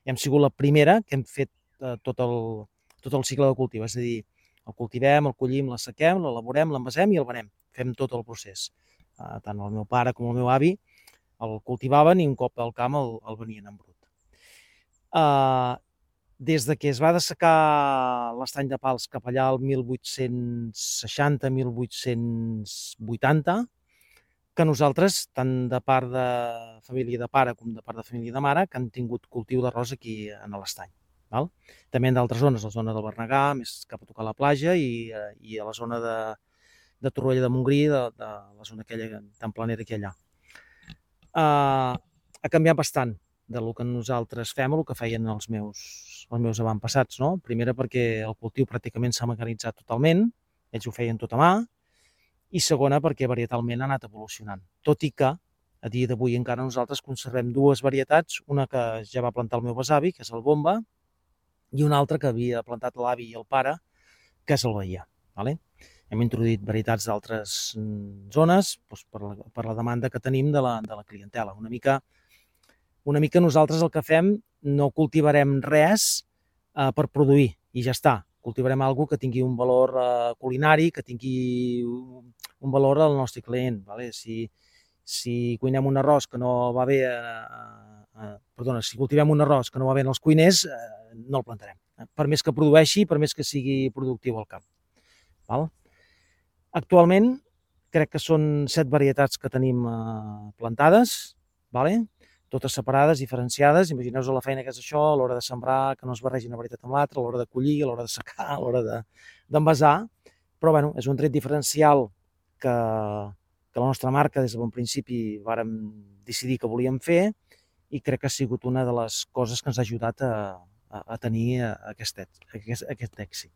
hem sigut la primera que hem fet tot el cicle de cultiu, és a dir, el cultivem, el collim, l'assequem, l'elaborem, l'envasem i el venem. Fem tot el procés. Tant el meu pare com el meu avi el cultivaven i un cop al camp el venien en brut. Des de que es va dessecar l'estany de Pals cap allà al 1860-1880, que nosaltres, tant de part de família de pare com de part de família de mare, que han tingut cultiu d'arròs aquí a l'estany. També en d'altres zones, la zona del Bernegà, més cap a tocar la platja, i a la zona de Torroella de Montgrí, de la zona aquella tan planera que hi ha allà. Ha canviat bastant del que nosaltres fem o el que feien els meus avantpassats, no? Primera perquè el cultiu pràcticament s'ha mecanitzat totalment, ells ho feien tot a mà, i segona perquè varietalment ha anat evolucionant, tot i que a dia d'avui encara nosaltres conservem dues varietats, una que ja va plantar el meu besavi, que és el Bomba, i una altra que havia plantat l'avi i el pare, que és el Bahia. Hem introduït varietats d'altres zones per la demanda que tenim de la clientela. Una mica nosaltres el que fem, no cultivarem res per produir i ja està. Cultivarem alguna cosa que tingui un valor culinari, que tingui un valor al nostre client. Si cuinem un arròs que no va bé, si cultivem un arròs que no va bé als cuiners, no el plantarem. Per més que produeixi, per més que sigui productiu al camp. Actualment crec que són 7 varietats que tenim plantades, totes separades, diferenciades. Imagineu-vos la feina que és això a l'hora de sembrar, que no es barregi una varietat amb l'altra, a l'hora de collir, a l'hora de secar, a l'hora d'envasar. Però bueno, és un tret diferencial que la nostra marca des de bon principi vàrem decidir que volíem fer, i crec que ha sigut una de les coses que ens ha ajudat a tenir aquest èxit.